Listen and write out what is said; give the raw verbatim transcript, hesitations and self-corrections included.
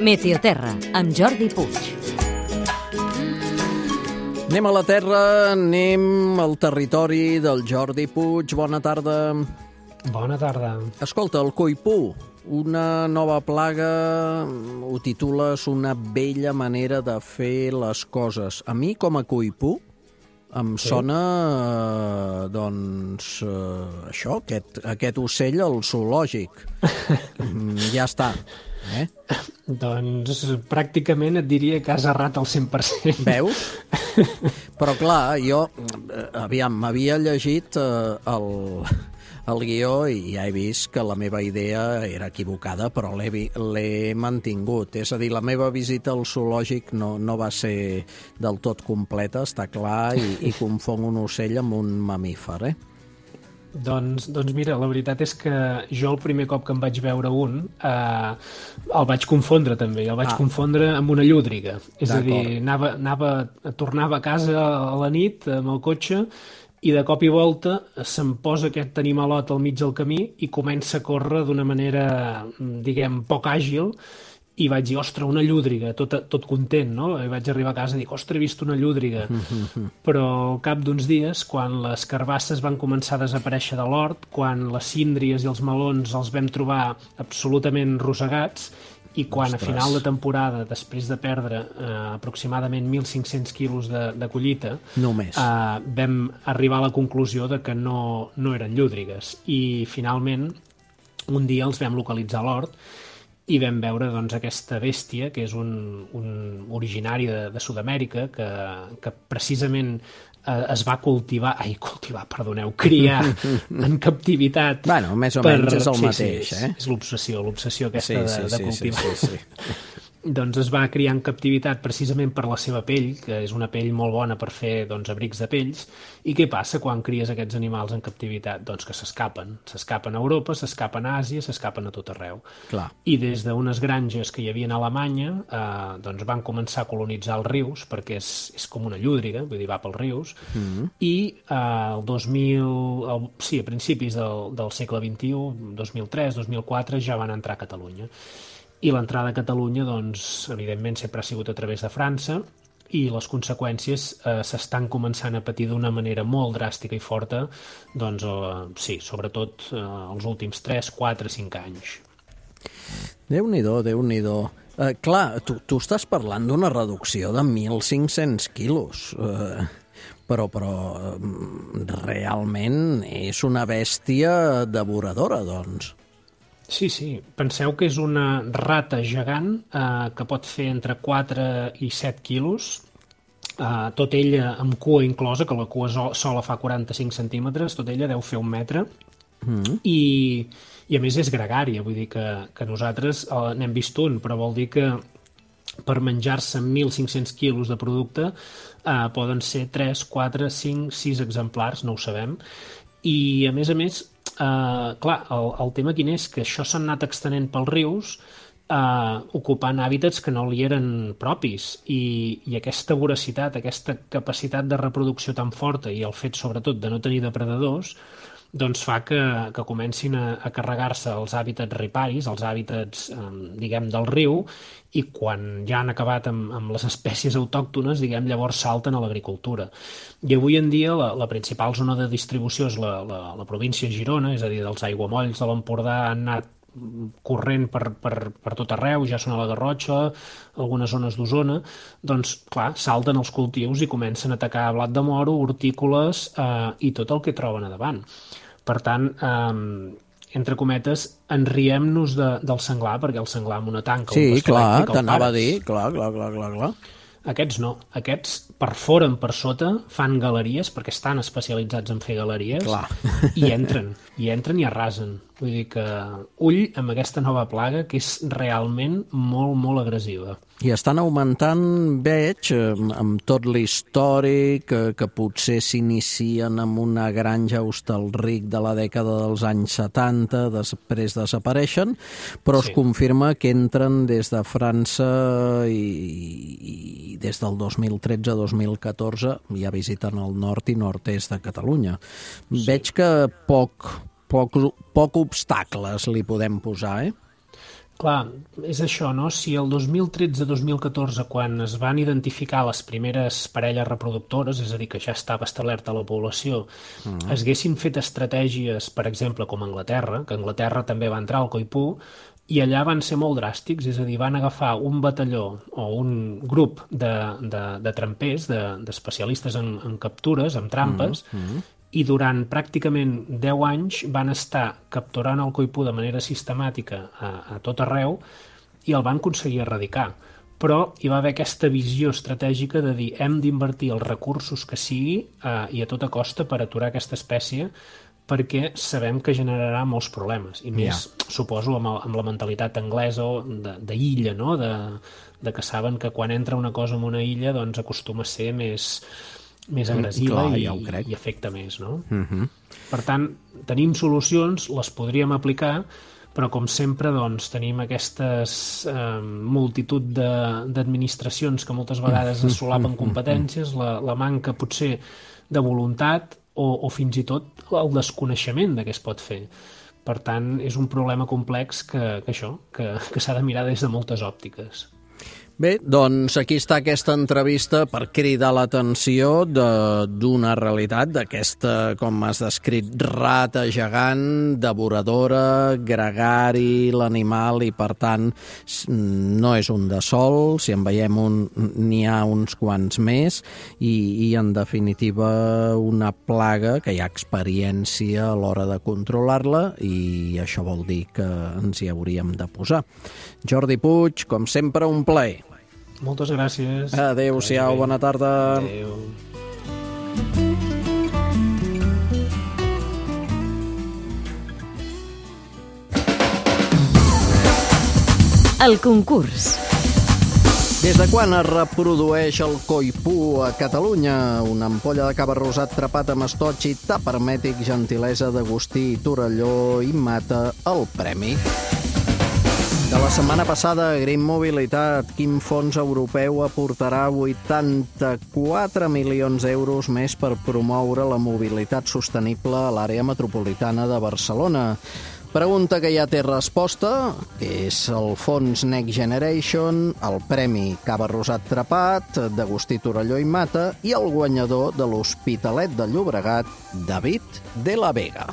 Meteoterra, amb Jordi Puig. Anem a la Terra, anem al territori del Jordi Puig. Bona tarda. Bona tarda. Escolta, el coipú, una nova plaga, ho titules una vella manera de fer les coses. A mi, com a coipú, em sí. sona, eh, doncs, eh, això, aquest, aquest ocell al zoològic. Ja està. Eh? Doncs pràcticament et diria que has errat al cent per cent. Veus? Però clar, jo, aviam, m'havia llegit eh, el, el guió i ja he vist que la meva idea era equivocada, però l'he mantingut. És a dir, la meva visita al zoològic no, no va ser del tot completa, està clar, i, i confon un ocell amb un mamífer, eh? Doncs, doncs mira, la veritat és que jo el primer cop que em vaig veure un eh, el vaig confondre també, el vaig ah. confondre amb una llúdriga. És a dir, anava, anava, tornava a casa a la nit amb el cotxe i de cop i volta se'm posa aquest animalot al mig del camí i comença a córrer d'una manera, diguem, poc àgil, i vaig dir, ostres, una llúdriga, tot, tot content, no? I vaig arribar a casa i dic, ostres, he vist una llúdriga. Mm-hmm. Però al cap d'uns dies, quan les carbasses van començar a desaparèixer de l'hort, quan les síndries i els melons els vam trobar absolutament rosegats, i quan ostres. A final de temporada, després de perdre eh, aproximadament mil cinc-cents quilos de, de collita, només. Eh, vam arribar a la conclusió de que no, no eren llúdrigues. I finalment, un dia els vam localitzar a l'hort, i vam veure doncs, aquesta bèstia, que és un, un originari de, de Sud-amèrica, que, que precisament eh, es va cultivar, ai, cultivar, perdoneu, criar en captivitat. Bueno, més o per... menys és el sí, mateix, sí, eh? És l'obsessió, l'obsessió aquesta sí, sí, de, de sí, cultivar. Sí, sí, sí. Doncs es va criar en captivitat precisament per la seva pell, que és una pell molt bona per fer doncs, abrics de pells. I què passa quan cries aquests animals en captivitat? Doncs que s'escapen. S'escapen a Europa, s'escapen a Àsia, s'escapen a tot arreu. Clar. I des d'unes granges que hi havia a Alemanya eh, doncs van començar a colonitzar els rius, perquè és, és com una llúdriga, vull dir, va pels rius. Mm-hmm. I eh, el dos mil... El, sí, a principis del, del segle vint-i-u, dos mil tres, dos mil quatre, ja van entrar a Catalunya. I l'entrada a Catalunya, doncs, evidentment, sempre ha sigut a través de França i les conseqüències eh, s'estan començant a patir d'una manera molt dràstica i forta, doncs, eh, sí, sobretot eh, els últims tres, quatre, cinc anys. Déu-n'hi-do, Déu-n'hi-do. Eh, clar, tu, tu estàs parlant d'una reducció de mil cinc-cents quilos, eh, però, però eh, realment és una bèstia devoradora, doncs. Sí, sí. Penseu que és una rata gegant eh, que pot fer entre quatre i set quilos, eh, tot ella amb cua inclosa, que la cua sola fa quaranta-cinc centímetres, tot ella deu fer un metre, mm. i, i a més és gregària, vull dir que, que nosaltres eh, n'hem vist un, però vol dir que per menjar-se mil cinc-cents quilos de producte eh, poden ser tres, quatre, cinc, sis exemplars, no ho sabem, i a més a més, Uh, clar, el, el tema quin és? Que això s'ha anat extenent pels rius uh, ocupant hàbitats que no li eren propis i, i aquesta voracitat, aquesta capacitat de reproducció tan forta i el fet sobretot de no tenir depredadors doncs fa que, que comencin a, a carregar-se els hàbitats riparis, els hàbitats, um, diguem, del riu, i quan ja han acabat amb, amb les espècies autòctones, diguem, llavors salten a l'agricultura. I avui en dia la, la principal zona de distribució és la, la, la província de Girona, és a dir, dels aiguamolls de l'Empordà han anat corrent per, per, per tot arreu, ja són a la Garrotxa, algunes zones d'Osona, doncs, clar, salten els cultius i comencen a atacar blat de moro, hortícoles eh, i tot el que troben a davant. Per tant, eh, entre cometes, enriem-nos de, del senglar, perquè el senglar amb una tanca... Sí, clar, t'anava a dir, clar, clar, clar, clar, clar. Aquests no. Aquests perforen per sota, fan galeries, perquè estan especialitzats en fer galeries, clar. i entren, i entren i arrasen. Vull dir que ull amb aquesta nova plaga, que és realment molt, molt agressiva. I estan augmentant, veig, amb tot l'històric, que, que potser s'inicien amb una granja a Hostalric de la dècada dels anys setanta, després desapareixen, però sí. Es confirma que entren des de França i, i des del dos mil tretze a dos mil catorze ja visiten el nord i nord-est de Catalunya. Sí. Veig que poc, poc, poc obstacles li podem posar, eh? Clar, és això, no? Si el dos mil tretze-dos mil catorze, quan es van identificar les primeres parelles reproductores, és a dir, que ja estava establerta la població, mm. es haguessin fet estratègies, per exemple, com a Anglaterra, que Anglaterra també va entrar al coipú, i allà van ser molt dràstics, és a dir, van agafar un batalló o un grup de, de, de trampers, d'especialistes de, en, en captures, en trampes, mm. Mm. i durant pràcticament deu anys van estar capturant el coipú de manera sistemàtica a, a tot arreu i el van aconseguir erradicar. Però hi va haver aquesta visió estratègica de dir hem d'invertir els recursos que sigui eh, i a tota costa per aturar aquesta espècie perquè sabem que generarà molts problemes. I més, yeah. suposo, amb, el, amb la mentalitat anglesa d'illa, no? de, de que saben que quan entra una cosa en una illa doncs acostuma a ser més... més agressiva Clar, i, ja i afecta més, no? Uh-huh. Per tant, tenim solucions, les podríem aplicar, però com sempre doncs, tenim aquestes eh, multitud d'administracions que moltes vegades es solapen competències, la, la manca potser de voluntat o, o fins i tot el desconeixement de què es pot fer. Per tant, és un problema complex que, que això, que, que s'ha de mirar des de moltes òptiques. Bé, doncs aquí està aquesta entrevista per cridar l'atenció d'una realitat, d'aquesta, com has descrit, rata gegant, devoradora, gregari, l'animal, i per tant no és un de sol, si en veiem un n'hi ha uns quants més, i, i en definitiva una plaga que hi ha experiència a l'hora de controlar-la, i això vol dir que ens hi hauríem de posar. Jordi Puig, com sempre, un plaer. Moltes gràcies. Adéu-siau, bona tarda. Adéu. El concurs. Des de quan es reprodueix el coipú a Catalunya? Una ampolla de cava rosat trepat amb estoig i tap hermètic, gentilesa d'Agustí Torelló, i Mata el premi. De la setmana passada, Green Mobilitat, quin fons europeu aportarà vuitanta-quatre milions d'euros més per promoure la mobilitat sostenible a l'àrea metropolitana de Barcelona? Pregunta que ja té resposta, que és el fons Next Generation, el premi Cava Rosat Trepat, d'Agustí Torelló i Mata, i el guanyador de l'Hospitalet de Llobregat, David de la Vega.